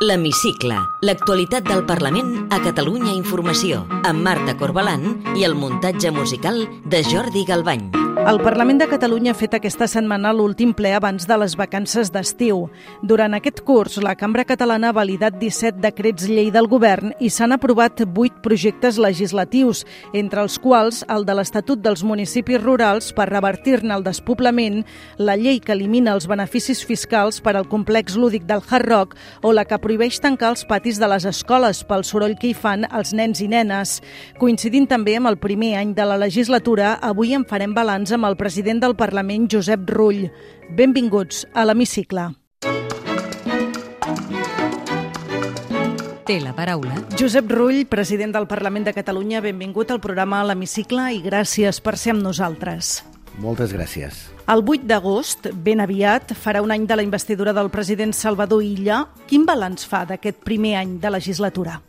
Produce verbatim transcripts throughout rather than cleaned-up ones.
L'Hemicicle, l'actualitat del Parlament a Catalunya Informació, amb Marta Corbalán i el muntatge musical de Jordi Galbany. El Parlament de Catalunya ha fet aquesta setmana l'últim ple abans de les vacances d'estiu. Durant aquest curs, la Cambra Catalana ha validat disset decrets llei del govern i s'han aprovat vuit projectes legislatius, entre els quals el de l'Estatut dels Municipis Rurals per revertir-ne el despoblament, la llei que elimina els beneficis fiscals per al complex lúdic del Hard Rock o la que prohibeix tancar els patis de les escoles pel soroll que hi fan els nens i nenes. Coincidint també amb el primer any de la legislatura, avui en farem balanç amb el president del Parlament, Josep Rull. Benvinguts a l'Hemicicle. Té la paraula Josep Rull, president del Parlament de Catalunya, benvingut al programa l'Hemicicle i gràcies per ser amb nosaltres. Moltes gràcies. El vuit d'agost, ben aviat, farà un any de la investidura del president Salvador Illa. Quin balanç fa d'aquest primer any de legislatura?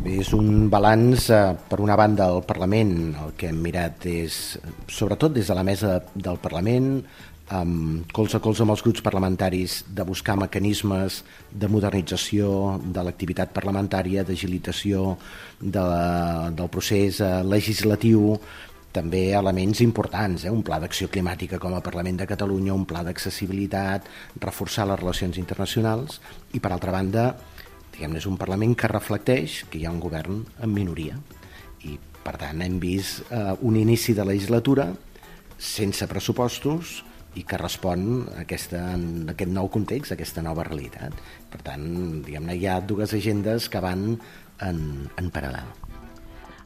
Bé, és un balanç, eh, per una banda, al Parlament. El que hem mirat és, sobretot des de la mesa del Parlament, amb colze a colze amb els grups parlamentaris, de buscar mecanismes de modernització de l'activitat parlamentària, d'agilitació de la, del procés eh, legislatiu, també elements importants, eh? un pla d'acció climàtica com a Parlament de Catalunya, un pla d'accessibilitat, reforçar les relacions internacionals i, per altra banda, diguem-ne, és un Parlament que reflecteix que hi ha un govern en minoria i, per tant, hem vist eh, un inici de legislatura sense pressupostos i que respon a, aquesta, a aquest nou context, a aquesta nova realitat. Per tant, diguem-ne, hi ha dues agendes que van en, en paral·lel.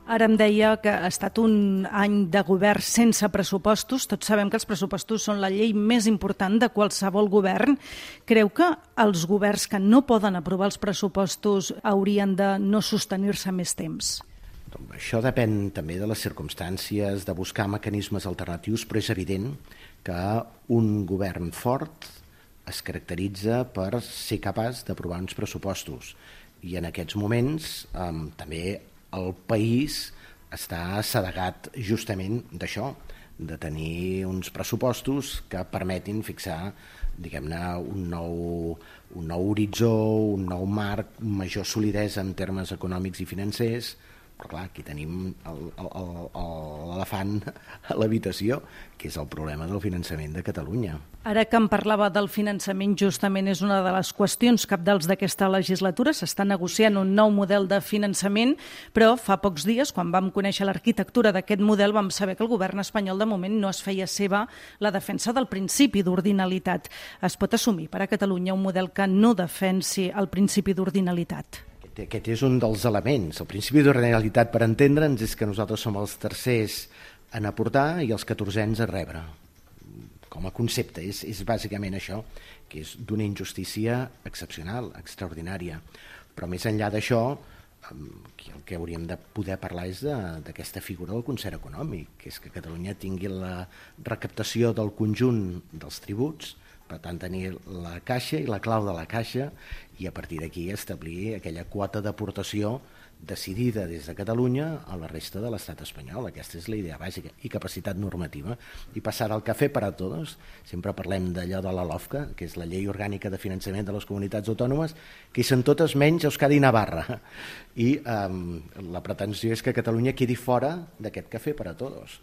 Ara em deia que ha estat un any de govern sense pressupostos. Tots sabem que els pressupostos són la llei més important de qualsevol govern. Creu que els governs que no poden aprovar els pressupostos haurien de no sostenir-se més temps? Això depèn també de les circumstàncies, de buscar mecanismes alternatius, però és evident que un govern fort es caracteritza per ser capaç d'aprovar uns pressupostos. I en aquests moments eh, també el país està assedegat justament d'això, de tenir uns pressupostos que permetin fixar, diguem-ne, un nou, un nou horitzó, un nou marc, major solidesa en termes econòmics i financers. Però clar, aquí tenim l'elefant a l'habitació, que és el problema del finançament de Catalunya. Ara que em parlava del finançament, justament és una de les qüestions cabdals d'aquesta legislatura. S'està negociant un nou model de finançament, però fa pocs dies, quan vam conèixer l'arquitectura d'aquest model, vam saber que el govern espanyol de moment no es feia seva la defensa del principi d'ordinalitat. Es pot assumir per a Catalunya un model que no defensi el principi d'ordinalitat? Aquest és un dels elements. El principi d'ordinalitat, per entendre'ns, és que nosaltres som els tercers en aportar i els catorzens a rebre. Com a concepte, és, és bàsicament això, que és d'una injustícia excepcional, extraordinària. Però més enllà d'això, el que hauríem de poder parlar és d'aquesta figura del concert econòmic, que és que Catalunya tingui la recaptació del conjunt dels tributs, per tant tenir la caixa i la clau de la caixa i a partir d'aquí establir aquella quota d'aportació decidida des de Catalunya a la resta de l'estat espanyol. Aquesta és la idea bàsica. I capacitat normativa. I passar al cafè per a tots. Sempre parlem d'allò de la LOFCA, que és la Llei Orgànica de Finançament de les Comunitats Autònomes, que hi són totes menys Euskadi i Navarra. I eh, la pretensió és que Catalunya quedi fora d'aquest cafè per a tots.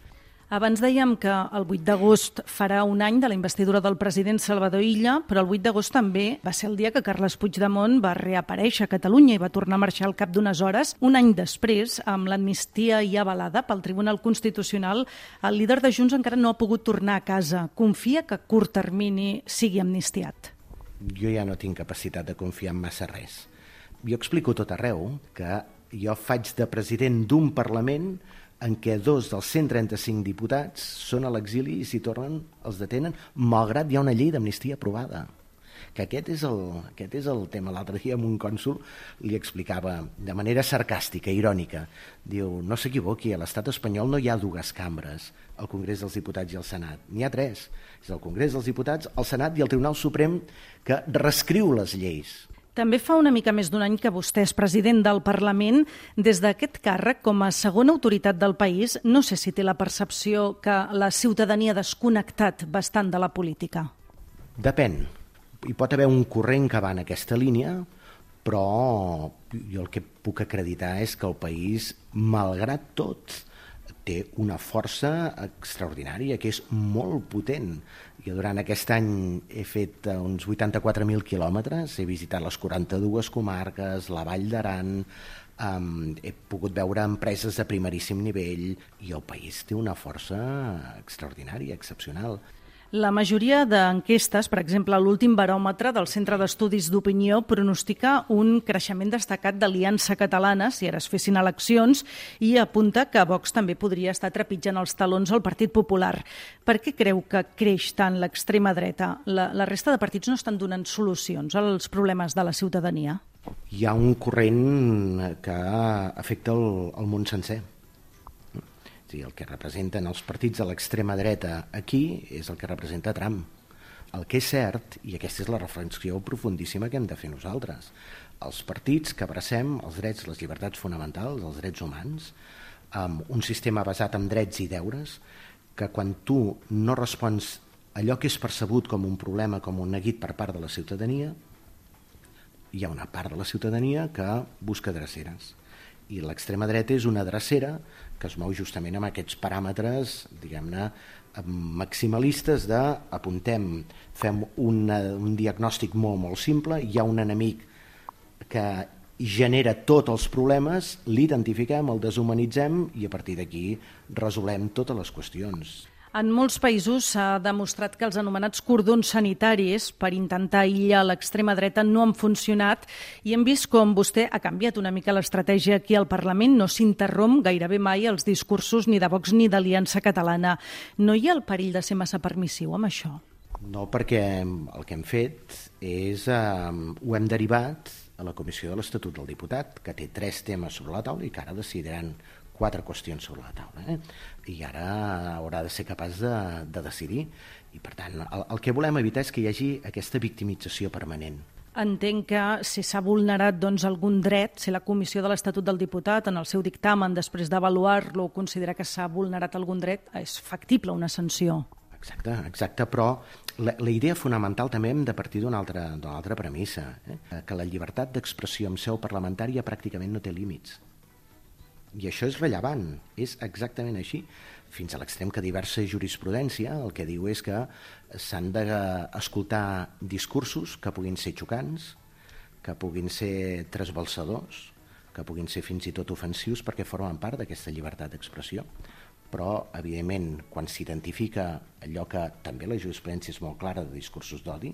Abans dèiem que el vuit d'agost farà un any de la investidura del president Salvador Illa, però el vuit d'agost també va ser el dia que Carles Puigdemont va reaparèixer a Catalunya i va tornar a marxar al cap d'unes hores. Un any després, amb l'amnistia ja avalada pel Tribunal Constitucional, el líder de Junts encara no ha pogut tornar a casa. Confia que a curt termini sigui amnistiat? Jo ja no tinc capacitat de confiar en massa res. Jo explico tot arreu que jo faig de president d'un Parlament en què dos dels cent trenta-cinc diputats són a l'exili i si tornen els detenen, malgrat hi ha una llei d'amnistia aprovada. Que aquest és el, aquest és el tema. L'altre dia amb un cònsol li explicava de manera sarcàstica, irònica. Diu, no s'equivoqui, a l'estat espanyol no hi ha dues cambres, el Congrés dels Diputats i el Senat. N'hi ha tres. És el Congrés dels Diputats, el Senat i el Tribunal Suprem que reescriu les lleis. També fa una mica més d'un any que vostè és president del Parlament. Des d'aquest càrrec, com a segona autoritat del país, no sé si té la percepció que la ciutadania ha desconnectat bastant de la política. Depèn. Hi pot haver un corrent que va en aquesta línia, però jo el que puc acreditar és que el país, malgrat tot, té una força extraordinària, que és molt potent. Jo durant aquest any he fet uns vuitanta-quatre mil quilòmetres, he visitat les quaranta-dues comarques, la Vall d'Aran, um, he pogut veure empreses de primeríssim nivell, i el país té una força extraordinària, excepcional. La majoria d'enquestes, per exemple, l'últim baròmetre del Centre d'Estudis d'Opinió pronostica un creixement destacat d'Aliança Catalana si ara es fessin eleccions i apunta que Vox també podria estar trepitjant els talons al Partit Popular. Per què creu que creix tant l'extrema dreta? La, la resta de partits no estan donant solucions als problemes de la ciutadania? Hi ha un corrent que afecta el, el món sencer. El que representen els partits de l'extrema dreta aquí és el que representa Trump. El que és cert, i aquesta és la reflexió profundíssima que hem de fer nosaltres, els partits que abracem els drets, les llibertats fonamentals, els drets humans, amb un sistema basat en drets i deures, que quan tu no respons allò que és percebut com un problema, com un neguit per part de la ciutadania, hi ha una part de la ciutadania que busca dreceres. I l'extrema dreta és una drecera que es mou justament amb aquests paràmetres, diguem-ne, maximalistes de apuntem, fem una, un diagnòstic molt, molt simple, hi ha un enemic que genera tots els problemes, l'identifiquem, el deshumanitzem i a partir d'aquí resolem totes les qüestions. En molts països s'ha demostrat que els anomenats cordons sanitaris per intentar aïllar l'extrema dreta no han funcionat i hem vist com vostè ha canviat una mica l'estratègia aquí al Parlament. No s'interromp gairebé mai els discursos ni de Vox ni d'Aliança Catalana. No hi ha el perill de ser massa permissiu amb això? No, perquè el que hem fet és, eh, ho hem derivat a la Comissió de l'Estatut del Diputat, que té tres temes sobre la taula i que ara decidiran quatre qüestions sobre la taula, eh? I ara haurà de ser capaç de, de decidir. I, per tant, el, el que volem evitar és que hi hagi aquesta victimització permanent. Entenc que si s'ha vulnerat doncs, algun dret, si la Comissió de l'Estatut del Diputat, en el seu dictamen, després d'avaluar-lo, considera que s'ha vulnerat algun dret, és factible una sanció. Exacte, exacte, però la, la idea fonamental també hem de partir d'una altra, d'una altra premissa, eh? Que la llibertat d'expressió en seu parlamentària pràcticament no té límits. I això és rellevant, és exactament així, fins a l'extrem que diversa jurisprudència el que diu és que s'han d'escoltar discursos que puguin ser xocants, que puguin ser trasbalsadors, que puguin ser fins i tot ofensius perquè formen part d'aquesta llibertat d'expressió. Però, evidentment, quan s'identifica allò que també la jurisprudència és molt clara de discursos d'odi,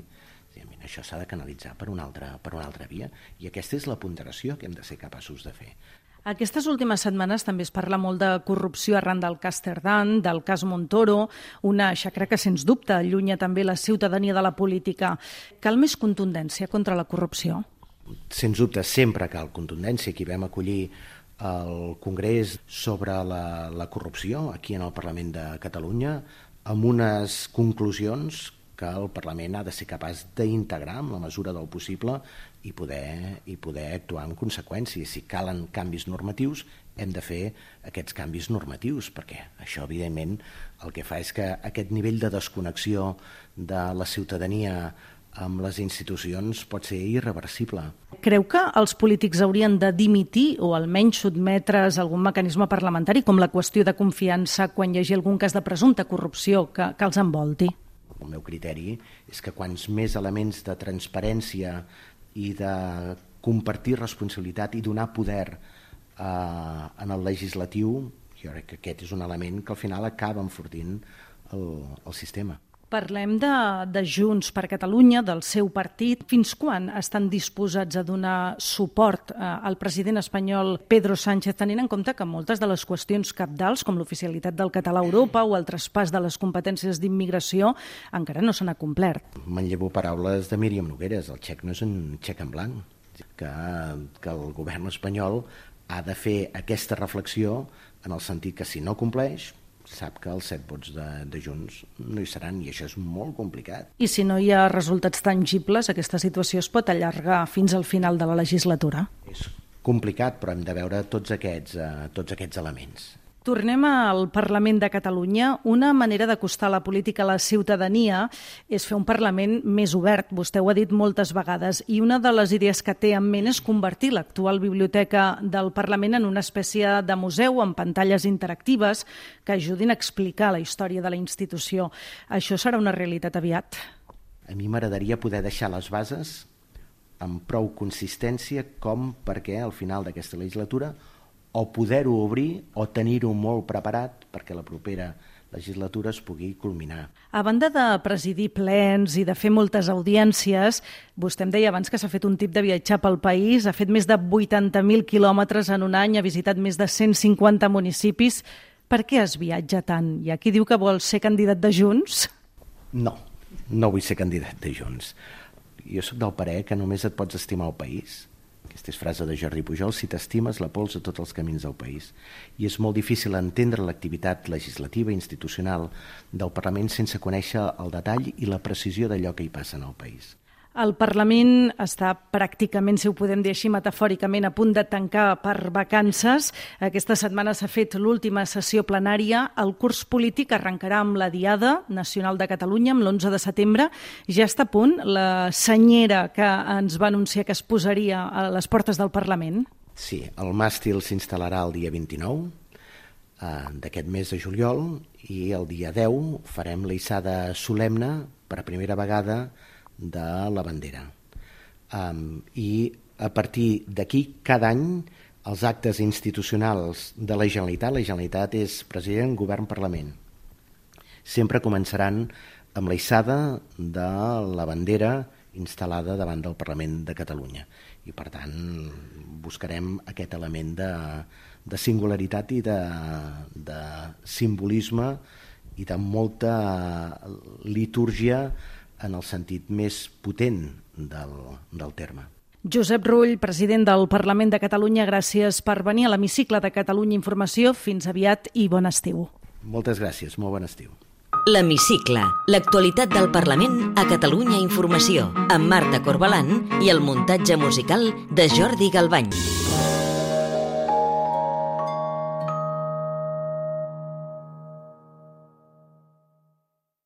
això s'ha de canalitzar per una altra, per una altra via, i aquesta és la ponderació que hem de ser capaços de fer. Aquestes últimes setmanes també es parla molt de corrupció arran del cas Cerdán, del cas Montoro, una xacra que, sens dubte, allunya també la ciutadania de la política. Cal més contundència contra la corrupció? Sens dubte, sempre cal contundència. Aquí vam acollir el Congrés sobre la, la corrupció aquí en el Parlament de Catalunya amb unes conclusions que el Parlament ha de ser capaç d'integrar en la mesura del possible i poder, i poder actuar en conseqüència. Si calen canvis normatius, hem de fer aquests canvis normatius, perquè això, evidentment, el que fa és que aquest nivell de desconnexió de la ciutadania amb les institucions pot ser irreversible. Creu que els polítics haurien de dimitir o almenys sotmetre's a algun mecanisme parlamentari, com la qüestió de confiança quan hi hagi algun cas de presumpta corrupció que, que els envolti? El meu criteri és que quants més elements de transparència i de compartir responsabilitat i donar poder eh, en el legislatiu, jo crec que aquest és un element que al final acaba enfortint el, el sistema. Parlem de, de Junts per Catalunya, del seu partit. Fins quan estan disposats a donar suport eh, al president espanyol Pedro Sánchez, tenint en compte que moltes de les qüestions cabdals, com l'oficialitat del català a Europa o el traspàs de les competències d'immigració, encara no s'han acomplert? Manllevo paraules de Míriam Nogueras, el xec no és un xec en blanc, que, que el govern espanyol ha de fer aquesta reflexió en el sentit que si no compleix, sap que els set vots de, de Junts no hi seran i això és molt complicat. I si no hi ha resultats tangibles, aquesta situació es pot allargar fins al final de la legislatura? És complicat, però hem de veure tots aquests, eh, tots aquests elements. tornem al Parlament de Catalunya. Una manera d'acostar la política a la ciutadania és fer un Parlament més obert. Vostè ho ha dit moltes vegades. I una de les idees que té en ment és convertir l'actual biblioteca del Parlament en una espècie de museu amb pantalles interactives que ajudin a explicar la història de la institució. Això serà una realitat aviat? A mi m'agradaria poder deixar les bases amb prou consistència com perquè al final d'aquesta legislatura o poder-ho obrir o tenir-ho molt preparat perquè la propera legislatura es pugui culminar. A banda de presidir plens i de fer moltes audiències, vostè em deia abans que s'ha fet un tip de viatjar pel país, ha fet més de vuitanta mil quilòmetres en un any, ha visitat més de cent cinquanta municipis. Per què es viatja tant? Hi ha qui diu que vol ser candidat de Junts? No, no vull ser candidat de Junts. Jo soc del parer que només et pots estimar el país. Aquesta és frase de Jordi Pujol: si t'estimes, la pols a tots els camins del país. I és molt difícil entendre l'activitat legislativa i institucional del Parlament sense conèixer el detall i la precisió d'allò que hi passa en el país. El Parlament està pràcticament, si ho podem dir així metafòricament, a punt de tancar per vacances. Aquesta setmana s'ha fet l'última sessió plenària. El curs polític arrencarà amb la Diada Nacional de Catalunya, amb l'onze de setembre. Ja està a punt la senyera que ens va anunciar que es posaria a les portes del Parlament? Sí, el màstil s'instal·larà el dia vint-i-nou eh, d'aquest mes de juliol i el dia deu farem la hissada solemne per primera vegada de la bandera. Um, I a partir d'aquí, cada any, els actes institucionals de la Generalitat, la Generalitat és president, govern, Parlament, sempre començaran amb la hissada de la bandera instal·lada davant del Parlament de Catalunya. I, per tant, buscarem aquest element de, de singularitat i de, de simbolisme i de molta litúrgia en el sentit més potent del, del terme. Josep Rull, president del Parlament de Catalunya, gràcies per venir a l'Hemicicle de Catalunya Informació. Fins aviat i bon estiu. Moltes gràcies, molt bon estiu. L'Hemicicle, l'actualitat del Parlament a Catalunya Informació, amb Marta Corbalán i el muntatge musical de Jordi Galbany.